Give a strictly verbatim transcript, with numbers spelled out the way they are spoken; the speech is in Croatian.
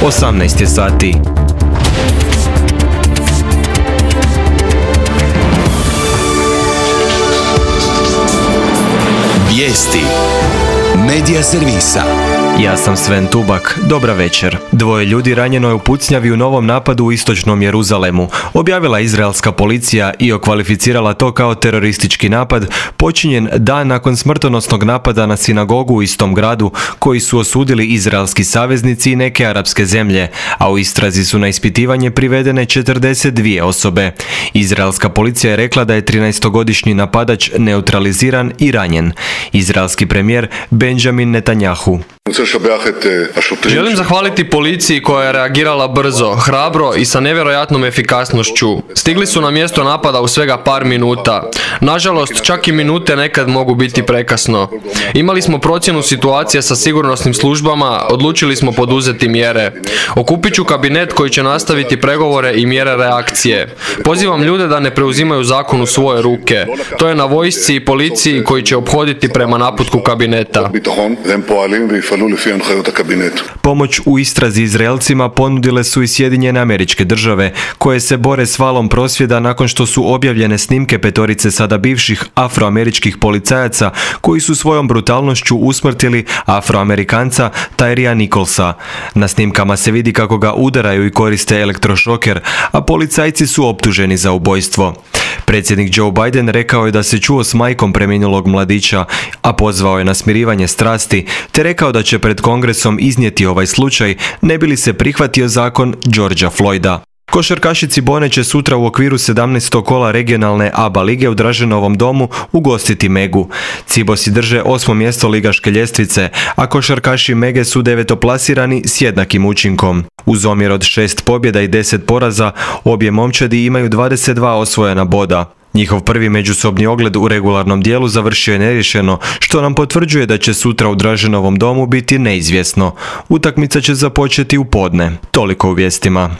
osamnaest je sati. Vijesti Medija servisa. Ja sam Sven Tubak, dobra večer. Dvoje ljudi ranjeno je u pucnjavi u novom napadu u istočnom Jeruzalemu. Objavila izraelska policija i okvalificirala to kao teroristički napad, počinjen dan nakon smrtonosnog napada na sinagogu u istom gradu, koji su osudili izraelski saveznici i neke arapske zemlje, a u istrazi su na ispitivanje privedene četrdeset dvije osobe. Izraelska policija je rekla da je trinaestogodišnji napadač neutraliziran i ranjen. Izraelski premijer Benjamin Netanjahu. Želim zahvaliti policiji koja je reagirala brzo, hrabro i sa nevjerojatnom efikasnošću. Stigli su na mjesto napada u svega par minuta. Nažalost, čak i minute nekad mogu biti prekasno. Imali smo procjenu situacije sa sigurnosnim službama, odlučili smo poduzeti mjere. Okupit ću kabinet koji će nastaviti pregovore i mjere reakcije. Pozivam ljude da ne preuzimaju zakon u svoje ruke. To je na vojsci i policiji koji će ophoditi prema naputku kabineta. Pomoć u istrazi Izraelcima ponudile su i Sjedinjene Američke Države, koje se bore s valom prosvjeda nakon što su objavljene snimke petorice sada bivših afroameričkih policajaca koji su svojom brutalnošću usmrtili Afroamerikanca Tyree Nicholsa. Na snimkama se vidi kako ga udaraju i koriste elektrošoker, a policajci su optuženi za ubojstvo. Predsjednik Joe Biden rekao je da se čuo s majkom preminulog mladića, a pozvao je na smirivanje strasti, te rekao da će pred Kongresom iznijeti ovaj slučaj, ne bi li se prihvatio zakon Georgea Floyda. Košarkaši Cibone će sutra u okviru sedamnaestog kola regionalne A B A lige u Draženovom domu ugostiti Megu. Cibosi drže osmo mjesto ligaške ljestvice, a košarkaši Mege su devetoplasirani s jednakim učinkom. Uz omjer od šest pobjeda i deset poraza, obje momčadi imaju dvadeset dva osvojena boda. Njihov prvi međusobni ogled u regularnom dijelu završio je neriješeno, što nam potvrđuje da će sutra u Draženovom domu biti neizvjesno. Utakmica će započeti u podne. Toliko u vijestima.